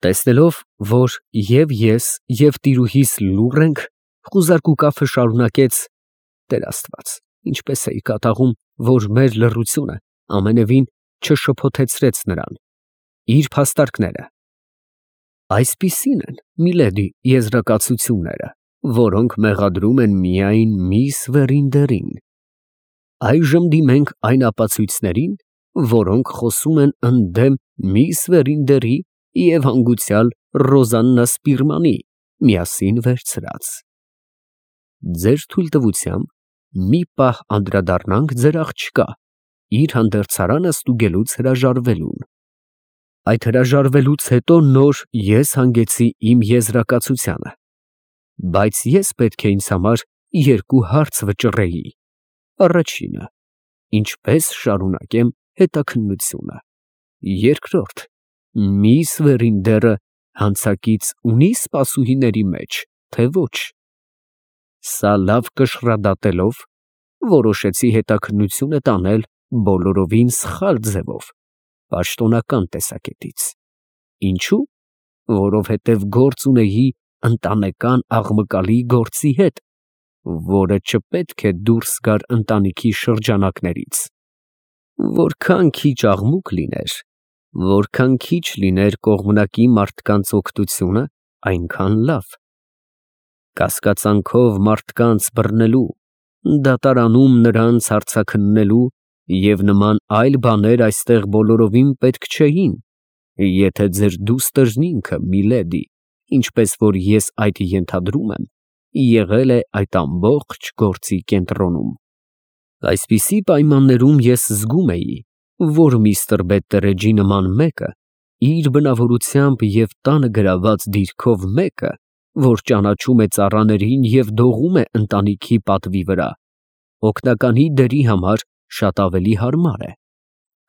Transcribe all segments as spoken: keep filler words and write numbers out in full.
Տեսնելով, որ և ես, և տիրուհիս լուռ ենք, խուզարկու կափը շարունակեց. «Տեր Աստված, ինչպես էի կատաղում, որ մեր լռությունը ամենևին չշփոթեցրեց նրան»։ Իր փաստարկները. «Այսպիսին են, միլեդի, եզրակացությունները, որոնք մեղադրում են միայն միս Վերինդերին։ Այժմ դիմենք այն ապացույցներին, որոնք խոսում են ընդդեմ միս Վերինդերի և հանգուցյալ Ռոզաննա Սպիրմանի միասին վերցրած։ Ձեր թույլտվությամբ մի պահ անդրադառնանք ձեր աղջկա իր հանդերձարանը ստուգելուց հրաժարվելուն։ Այդ հրաժարվելուց հետո նոր ես հանգեցի իմ եզրակացությանը, բայց ես պետք է ինձ համար երկու հարց վճռեի. առաջինը, ինչպե՞ս շարունակեմ հետաքննությունը, երկրորդ, միս Վերինդերը հանցակից ունի՞ սպասուհիների մեջ, թե ոչ։ Սա լավ կշռադատելով, որոշեցի հետաքննությունը տանել բոլորովին սխալ ձևով, պաշտոնական տեսակետից։ Ինչո՞ւ։ Որովհետև գործ ունեի ընտանեկան աղմկալի գործի հետ, որը չպետք է դուրս գար ընտանիքի շրջանակներից։ Որքան քիչ աղմուկ լիներ, որքան քիչ լիներ կողմնակի մարդկանց օգնությունը, այնքան լավ։ Կասկածանքով մարդկանց բռնելու, դատարանում նրանց հարցաքննելու և նման այլ բաներ այստեղ բոլորովին պետք չէին, եթե ձեր դուստրն ինքը, միլեդի, ինչպես որ ես այդ ենթադրում եմ, եղել է այդ ամբողջ գործի կենտրոնում։ Այսպիսի պայմաններում ես զգում էի, որ միստր Բետտերեջի նման մեկը, իր բնավորությամբ և տանը գրաված դիրքով մեկը, որ ճանաչում է ծառաներին և դողում է ընտանիքի պատվի վրա, օգնականի դերի համար շատ ավելի հարմար է,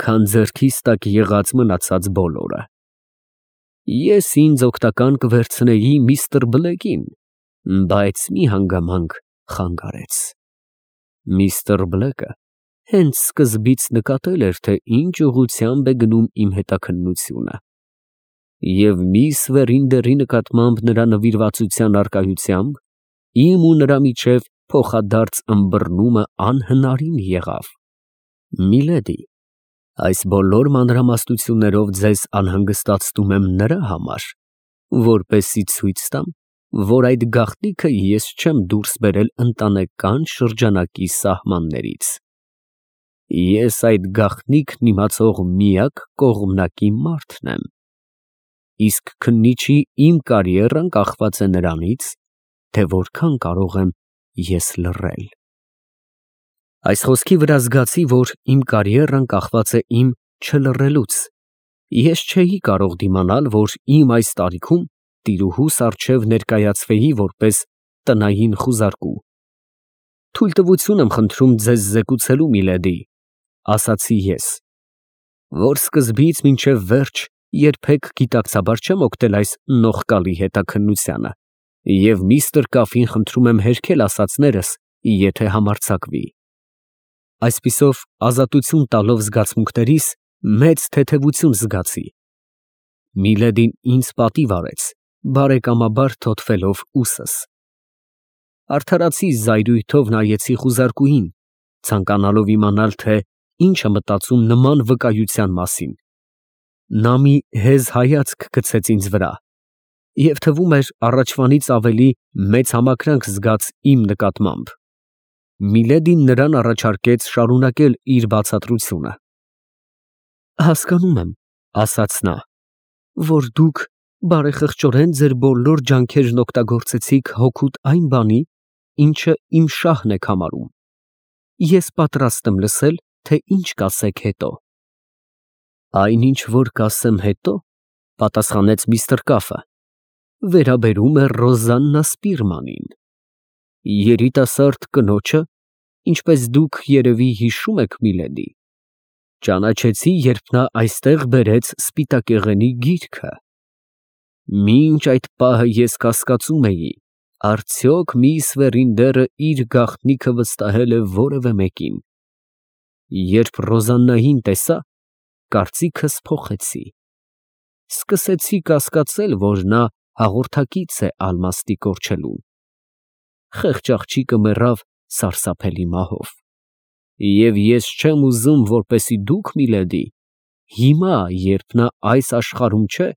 քան ձեռքիս տակ եղած մնացած բոլորը։ Ես ինձ օգնական կվերցնեի միստր Բլեքին, բայց մի հանգամանք խանգարեց։ Միստր Բլեքը հենց սկզբից նկատել էր, թե ինչ ուղղությամբ է գնում իմ հետաքննությունը, և միս Վերինդերի նկատմամբ նրա նվիրվածության առկայությամբ իմ ու նրա միջև փոխադարձ ըմբռնումը անհնարին եղավ։ Միլեդի, այս բոլոր մանրամասնություններով ձեզ անհանգստացնում եմ նրա համար, որպեսզի ցույց տամ, որ այդ գաղտնիքը ես չեմ դուրս բերել ընտանեկան շրջանակի սահմաններից։ Ես այդ գաղտնիքն իմացող միակ կողմնակի մարդն եմ, իսկ քննիչի իմ կարիերան կախված է նրանից, թե որքան կարող եմ ես լռել։ Այս խոսքի վրա զգացի, որ իմ կարիերան կախված է իմ չլռելուց։ Ես չէի կարող դիմանալ, որ իմ այս տարիքում տիրուհուս առջև ներկայացվեի որպես տնային խուզարկու։ Թույլտվություն եմ խնդրում ձեզ զեկուցելու, միլեդի, ասացի ես, որ սկզբից մինչև վերջ երբեք գիտակցաբար չեմ օգնել այս նողկալի հետաքննությանը և միստր Կաֆին խնդրում եմ հերքել ասածներս, եթե համարձակվի։ Այսպիսով ազատություն տալով զգացմունքներիս, մեծ թեթևություն զգացի։ Միլեդին ինձ պատիվ արեց, բարեկամաբար թոթվելով ուսս։ Արդարացի զայրույթով նայեցի խուզարկուհին, ցանկանալով իմանալ, թե ինչ է մտածում նման վկայության մասին։ Նա մի հեզ հայացք գցեց ինձ վրա, և թվում էր առաջվանից ավելի մեծ համակրանք զգաց իմ նկատմամբ։ Միլեդին նրան առաջարկեց շարունակել իր բացատրությունը։ Հասկանում եմ, ասաց նա, որ դուք բարեխղճորեն ձեր բոլոր ջանքերն օգտագործեցիք հօգուտ այն բանի, ինչը իմ շահն եք համարում։ Ես պատրաստ եմ լսել, թե ինչ կասեք հետո։ Այն, ինչ որ կասեմ հետո, պատասխանեց միստր Կաֆը, վերաբերում է Ռոզաննա Սպիրմանին, երիտասարդ կնոջը, ինչպես դուք երևի հիշում եք, միլեդի, ճանաչեցի, երբ նա այստեղ բերեց սպիտակեղենի գիրքը։ Մինչ այդ պահը ես կասկածում էի, արդյոք միս Վերինդերը իր գաղտնիքը վստահել է որևէ մեկին։ Երբ Ռոզաննային տեսա, կարծիքս փոխեցի։ սկսեցի կասկածել, որ նա հաղորդակից է ալմաստի կորչելուն։ Խեղճ աղջիկը մեռավ սարսափելի մահով։ Եվ ես չեմ ուզում, որպեսզի դուք, Միլեդի, հիմա, երբ նա այս աշխարհում չէ,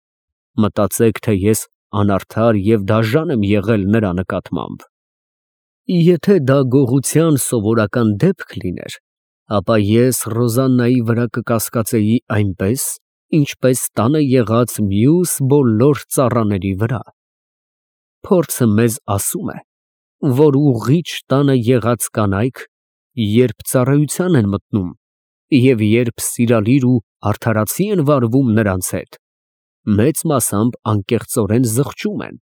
մտածեք, թե ես անարդար և դաժան եմ եղել նրա նկատմամբ։ Եթե դա գողության սովորական դեպք լիներ, ապա ես Ռոզաննայի վրա կկասկածեի այնպես, ինչպես տանը եղած մյուս բոլոր ծառաների վրա։ Փորձը մեզ ասում է, որ ուղղիչ տանը եղած կանայք, երբ ծառայության են մտնում և երբ սիրալիր ու արդարացի են վարվում նրանց հետ, մեծ մասամբ անկեղծորեն զղջում են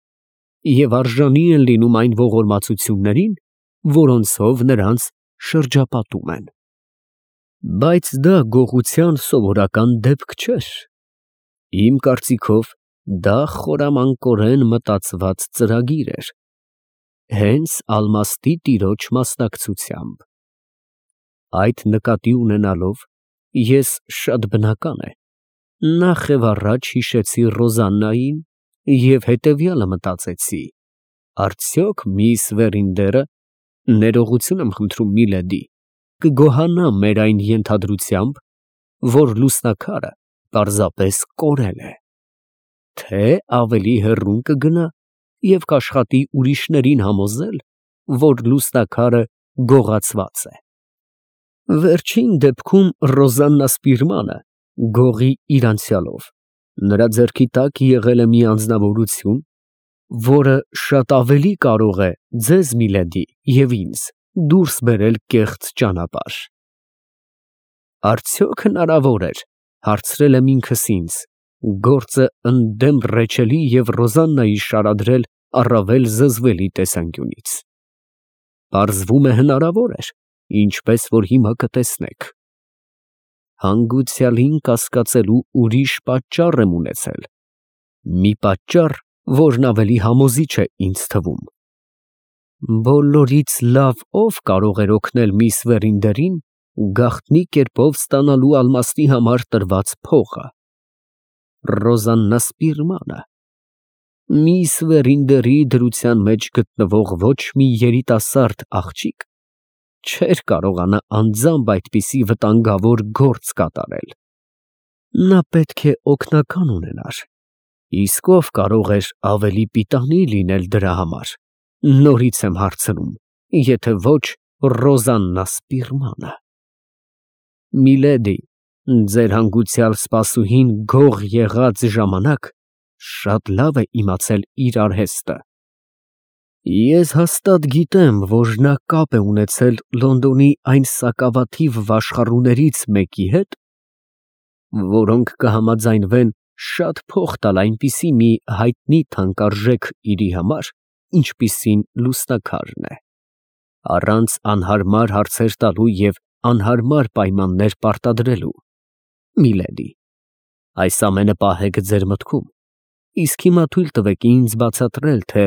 և արժանի են լինում այն ողորմածություններին, որոնցով նրանց շրջապատում են։ Բայց դա գողության սովորական դեպք չէր։ Իմ կարծիքով, դա խորամանկորեն մտածված ծրագիր էր, հենց ալմաստի տիրոջ մասնակցությամբ։ Այդ նկատի ունենալով, ես շատ բնական է, նախ և առաջ հիշեցի Ռոզաննային և հետևյալը մտածեցի. արդյոք միս Վերինդերը, ներողություն եմ խնդրում, Միլեդի, կգոհանա մեր այն ենթադրությամբ, որ լուսնաքարը պարզապես կորել է, թե ավելի հեռուն կգնա և կաշխատի ուրիշներին համոզել, որ լուսնաքարը գողացված է։ Վերջին դեպքում Ռոզաննա Սպիրմանը, գողի իր անցյալով, նրա ձեռքի տակ եղել է մի անձնավորություն, որը շատ ավելի կարող է ձեզ, Միլեդի, և ինձ դուրս բերել կեղծ ճանապարհ։ Արդյոք հնարավոր էր, հարցրել եմ ինքս ինձ, գործը ընդդեմ Ռեչելի և Ռոզաննայի շարադրել առավել զզվելի տեսանկյունից։ Պարզվում է հնարավոր էր, ինչպես որ հիմա կտեսնեք։ Հանգուցյալին կասկածելու ուրիշ պատճառ եմ ունեցել, մի պատճառ, որն ավելի համոզիչ է ինձ թվում։ Բոլորից լավ ով կարող էր օգնել միս Վերինդերին գաղտնի կերպով ստանալու ալմաստի համար տրված փողը։ Ռոզաննա Սպիրմանը։ Միս Վերինդերի դրության մեջ գտնվող ոչ մի երիտասարդ աղջիկ չէր կարողանա անձամբ այդպիսի վտանգավոր գործ կատարել։ Նա պետք է օգնական ունենար, իսկ ով կարող էր ավելի պիտանի լինել դրա համար, նորից եմ հարցնում, եթե ոչ Ռոզաննա Սպիրմանը։ Միլեդի, ձեր հանգուցյալ սպասուհին գող եղած ժամանակ շատ լավ է իմացել իր արհեստը։ Ես հաստատ գիտեմ, որ նա կապ է ունեցել Լոնդոնի այն սակավաթիվ վաշխառուներից մեկի հետ, որոնք կհամաձայնվեն շատ փող տալ այնպիսի մի հայտնի թանկարժեք իրի համար, ինչպիսին լուսնաքարն է, առանց անհարմար հարցեր տալու և անհարմար պայմաններ պարտադրելու։ Միլեդի, այս ամենը պահեք ձեր մտքում, իսկ հիմա թույլ տվեք ինձ բացատրել, թե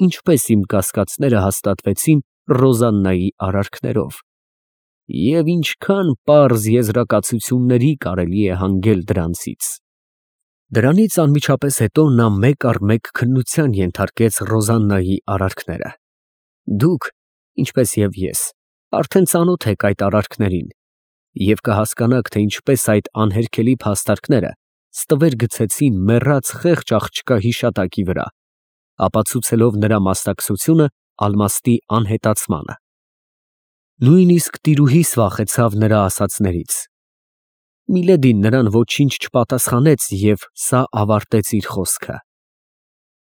ինչպես իմ կասկածները հաստատվեցին Ռոզաննայի արարքներով և ինչքան պարզ եզրակացությունների կարելի է հանգել դրանցից։ Դրանից անմիջապես հետո նա մեկ առ մեկ քննության ենթարկեց Ռոզաննայի արարքները։ Դուք, ինչպես և ես, արդեն ծանոթ եք այդ արարքներին և կհասկանաք, թե ինչպես այդ անհերքելի փաստարկները ստվեր գցեցին մեռած խեղճ աղջկա հիշատակի վրա, ապացուցելով նրա մասնակցությունը ալմաստի անհետացմանը։ Նույնիսկ տիրուհիս վախեցավ նրա ասածներից։ Միլեդին նրան ոչինչ չպատասխանեց և սա ավարտեց իր խոսքը։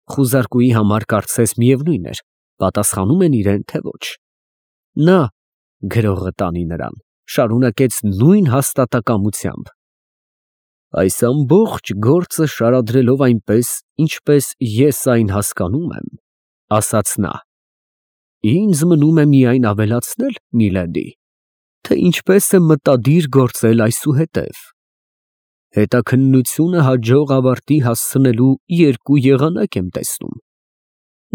Խուզարկուի համար կարծես միևնույն էր, պատասխանում են իրեն, թե ոչ։ Նա, գրողը տանի նրան, շարունակեց նույն հաստատակամությամբ. այս ամբողջ գործը շարադրելով այնպես, ինչպես ես այն հասկանում եմ, ասաց նա, ինձ մնում է միայն ավելացնել, Միլեդի, թե ինչպես է մտադիր գործել այսուհետև։ Հետաքննությունը հաջող ավարտի հասցնելու երկու եղանակ եմ տեսնում։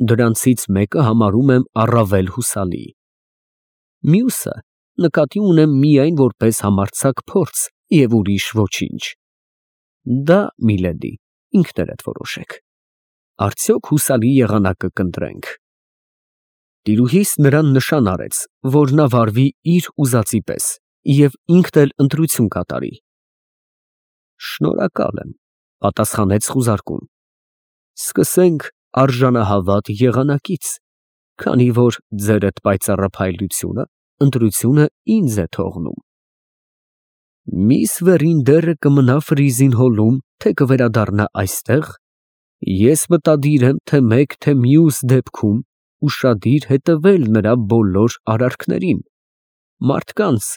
Դրանցից մեկը համարում եմ առավել հուսալի։ Մյուսը նկատի ունեմ միայն որպես համարձակ փորձ և ուրիշ ոչինչ։ Դա, Միլեդի, ինքներդ որոշեք։ Արդյոք հուսալի եղանակը կընտրենք։ Տիրուհիս նրան նշան արեց, որ նա վարվի իր ուզածի պես և ինքն էլ ընտրություն կատարի։ Շնորհակալ եմ, պատասխանեց խուզարկուն։ Սկսենք արժանահավատ եղանակից, քանի որ ձերդ պայծառափայլությունը ընտրությունը ինձ է թողնում։ Միս Վերինդերը կմնա Ֆրիզին հոլում, թե կվերադառնա այստեղ։ Ես մտադիր եմ թե մեկ, թե մյուս դեպքում ուշադիր հետևել նրա բոլոր արարքներին, մարդկանց,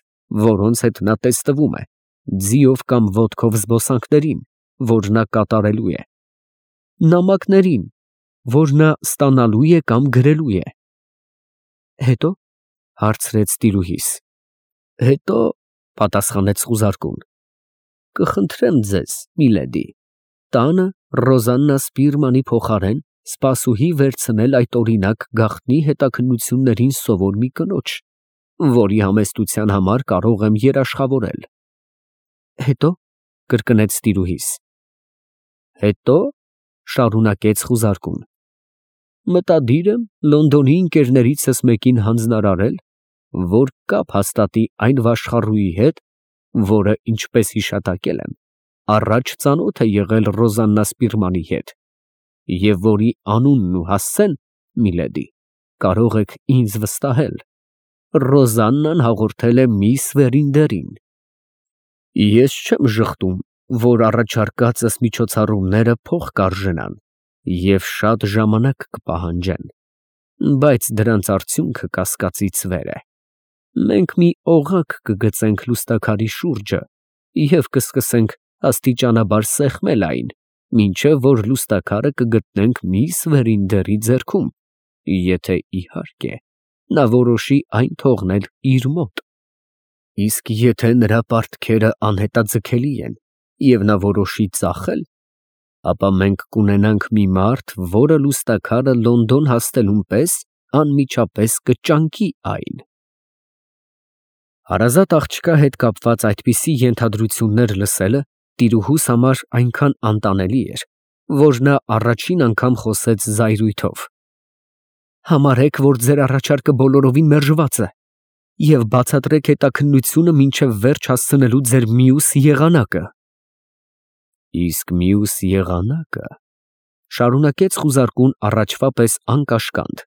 որոնց հետ նա տեսնվում է, ձիով կամ ոտքով զբոսանքներին, որ նա կատարելու է, նամակներին, որ նա ստանալու է կամ գրելու է։ Հետո, հարցրեց տիրուհիս։ Հետո, պատասխանեց խուզարկուն, կխնդրեմ ձեզ, միլեդի, տանը Ռոզաննա Սպիրմանի փոխարեն սպասուհի վերցնել այդ օրինակ գաղտնի հետաքննություններին սովոր մի կնոջ, որի համեստության համար կարող եմ երաշխավորել։ Հետո, կրկնեց տիրուհիս։ Հետո, շարունակեց խուզարկուն, մտադիր եմ Լոնդոնի ընկերներիցս մեկին հանձնարարել, որ կապ հաստատի այն վաշխառուի հետ, որը, ինչպես հիշատակել եմ, առաջ ծանոթ է եղել Ռոզաննա Սպիրմանի հետ, և որի անունն ու հասցեն, միլեդի, կարող եք ինձ վստահել, Ռոզաննան հաղորդել է միս Վերինդերին։ Ես չեմ ժխտում, որ առաջարկածս միջոցառումները փող կարժենան և շատ ժամանակ կպահանջեն, բայց դրանց արդյունքը կասկածից վեր է։ Մենք մի օղակ կգծենք լուստաքարի շուրջը և կսկսենք աստիճանաբար սեղմել այն, մինչև որ լուստաքարը կգտնենք միս Վերինդերի ձեռքում, եթե, իհարկե, նա որոշի այն թողնել իր մոտ։ Իսկ եթե նրա պարտքերը անհետաձգելի են և նա որոշի ծախել, ապա մենք կունենանք մի մարդ, որը լուստաքարը Լոնդոն հասնելուն պես անմիջապես կճանկի այն։ Հարազատ աղջկա հետ կապված այդպիսի ենթադրություններ լսելը տիրուհուս համար այնքան անտանելի էր, որ նա առաջին անգամ խոսեց զայրույթով. Համարեք, որ ձեր առաջարկը բոլորովին մերժված է, և բացատրեք հետաքննությունը մինչև վերջ հասցնելու ձեր մյուս եղանակը։ Իսկ մյուս եղանակը, շարունակեց խուզարկուն առաջվա պես անկաշկանդ,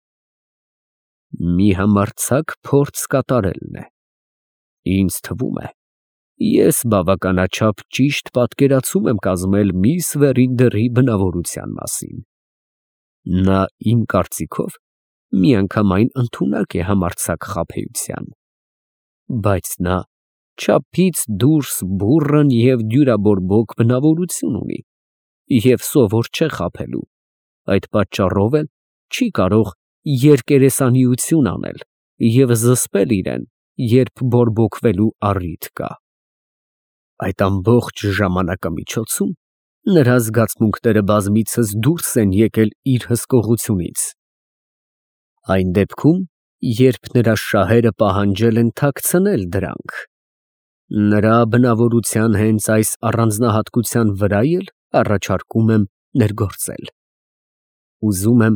մի համարձակ փորձ կատարելն է։ Ինձ թվում է, ես բավականաչափ ճիշտ պատկերացում եմ կազմել միս Վերինդերի բնավորության մասին։ Նա, իմ կարծիքով, միանգամայն ընդունակ է համարձակ խաբեության, բայց նա չափից դուրս բուռն և դյուրաբորբոք բնավորություն ունի և սովոր չէ խաբելու, այդ պատճառով էլ չի կարող երկերեսանիություն անել և զսպել իրան, երբ բորբոքվելու առիթ կա։ Այդ ամբողջ ժամանակամիջոցում նրա զգացմունքները բազմիցս դուրս են եկել իր հսկողությունից։ Այն դեպքում, երբ նրա շահերը պահանջել են թաքցնել դրանք, նրա բնավորության հենց այս առանձնահատկության վրա էլ առաջարկում եմ ներգործել։ Ուզում եմ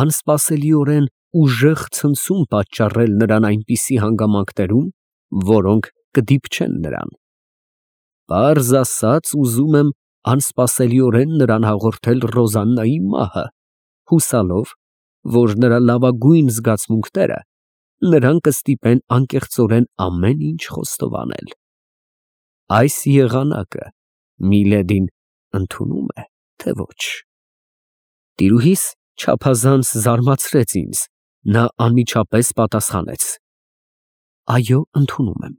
անսպասելիորեն ուժեղ ցնցում պատճառել նրան այնպիսի հանգամանքներում, որոնք կդիպչեն նրան։ Պարզ ասած, ուզում եմ անսպասելիորեն նրան հաղորդել Ռոզաննայի մահը, հուսալով, որ նրա լավագույն զգացմունքները նրան կստիպեն անկեղծորեն ամեն ինչ խոստովանել։ Այս եղանակը միլեդին ընդունո՞ւմ է, թե ոչ։ Տիրուհիս չափազանց զարմացրեց ինձ, նա անմիջապես պատասխանեց. Այո, ընդունում եմ։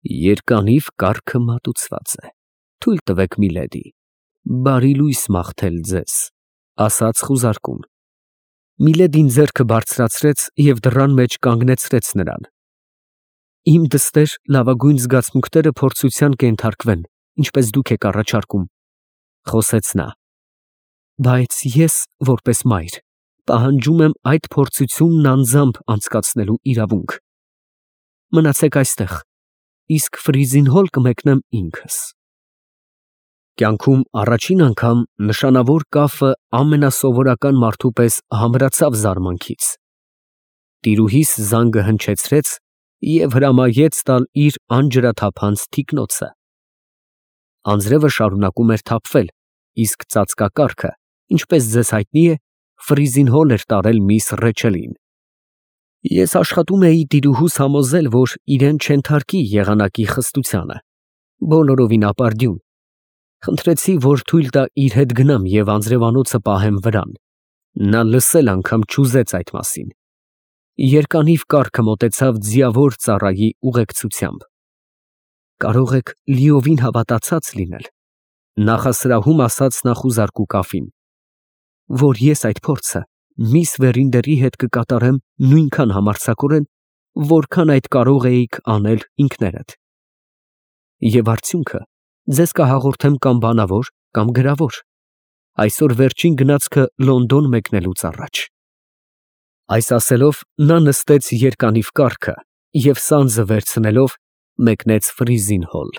Երկանիվ կառքը մատուցված է, թույլ տվեք, միլեդի, բարի լույս մաղթել ձեզ, ասաց խուզարկուն։ Միլեդին ձեռքը բարձրացրեց և դռան մեջ կանգնեցրեց նրան։ Իմ դստեր լավագույն զգացմունքները փորձության կենթարկվեն, ինչպես դուք եք առաջարկում, խոսեց նա, բայց ես, որպես մայր, պահանջում եմ այդ փորձությունն անձամբ անցկացնելու իրավունք։ Մնացեք այստեղ, իսկ Ֆրիզին հոլ կմեկնեմ ինքս։ Կյանքում առաջին անգամ նշանավոր կապը ամենասովորական մարդու պես համրացավ զարմանքից։ Տիրուհիս զանգը հնչեցրեց և հրամայեց տալ իր անջրաթափանց թիկնոցը։ Անձրևը շարունակում էր թափվել, իսկ ծածկակառքը, ինչպես ձեզ հայտնի է, ֆրիզին հոլ էր տարել միս Ռեչելին։ Ես աշխատում էի տիրուհուս համոզել, որ իրան չենթարկի եղանակի խստությանը, բոլորովին ապարդյուն։ Խնդրեցի, որ թույլ տա իր հետ գնամ և անձրևանոցը պահեմ վրան, նա լսել անգամ չուզեց այդ մասին։ Երկանիվ կառքը մոտեցավ ձիավոր ծառայի ուղեկցությամբ։ Կարող եք լիովին հավատացած լինել, նախասրահում ասաց նա խուզարկու կաֆին, որ ես այդ փորձը միս Վերինդերի հետ կկատարեմ նույնքան համարձակորեն, որքան այդ կարող էիք անել ինքներդ։ Եվ արդյունքը ձեզ կհաղորդեմ կամ բանավոր, կամ գրավոր, այսօր վերջին գնացքը Լոնդոն մեկնելուց առաջ։ Այս ասելով նա նստեց երկանիվ կառքը և սանձը վերցնելով մեկնեց ֆրիզին հոլ։